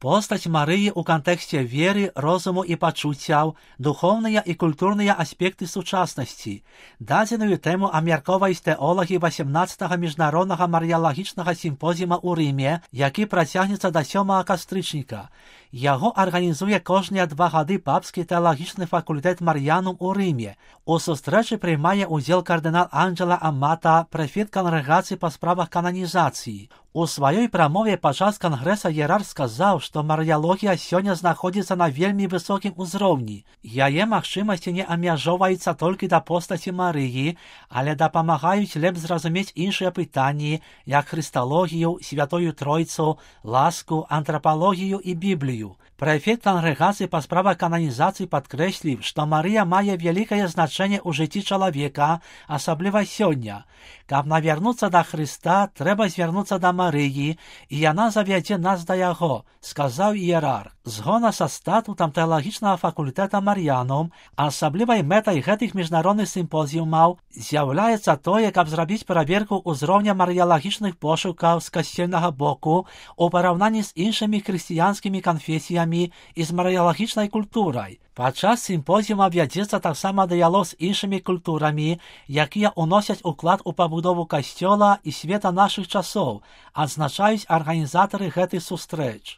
Постаць Марыі ў кантэксце веры, розуму і пачуццяў, духоўныя і культурныя аспекты сучаснасці. Дадзеную тэму абмяркоўваюць тэолагі 18-га міжнароднага марыялагічнага сімпозіума ў Рыме, які працягнецца да 7 кастрычніка. Яго арганізуе кожныя 2 гады папскі тэалагічны факультэт Мар'янум у Рыме. У сустрэчы прымае ўдзел кардынал Анджела Амата, прэфект кангрэгацыі па справах кананізацыі. У сваёй прамове падчас кангрэса іерарх сказаў, што марыялогія сёння знаходзіцца на вельмі высокім узроўні. Яе магчымасці не абмяжоўваюцца толькі да постаці Марыі, але дапамагаюць лепш зразумець іншыя пытанні, як хрысталогію, святую тройцу, ласку, антрапалогію і Біблію. Прэфект кангрэгацыі па справах кананізацыі падкрэсліў, што Марыя мае вялікае значэнне ў жыцці чалавека, асабліва сёння. Каб навярнуцца да Хрыста, трэба звярнуцца да Марыі, і яна завядзе нас да яго, сказаў іерарх. Згодна са статутам тэалагічнага факультэта Мар'янум, асаблівай мэтай гэтых міжнародных сімпозіумаў з'яўляецца тое, каб зрабіць праверку ўзроўня марыялагічных пошукаў з касцельнага боку у параўнанні з іншымі хрысціянскімі канфесіямі і з марыялагічнай культурай. Падчас сімпозіума вядзецца таксама дыялог з іншымі культурамі, якія ўносяць уклад у пабудову касцёла і света нашых часоў, адзначаюць арганізатары гэтых сустрэч.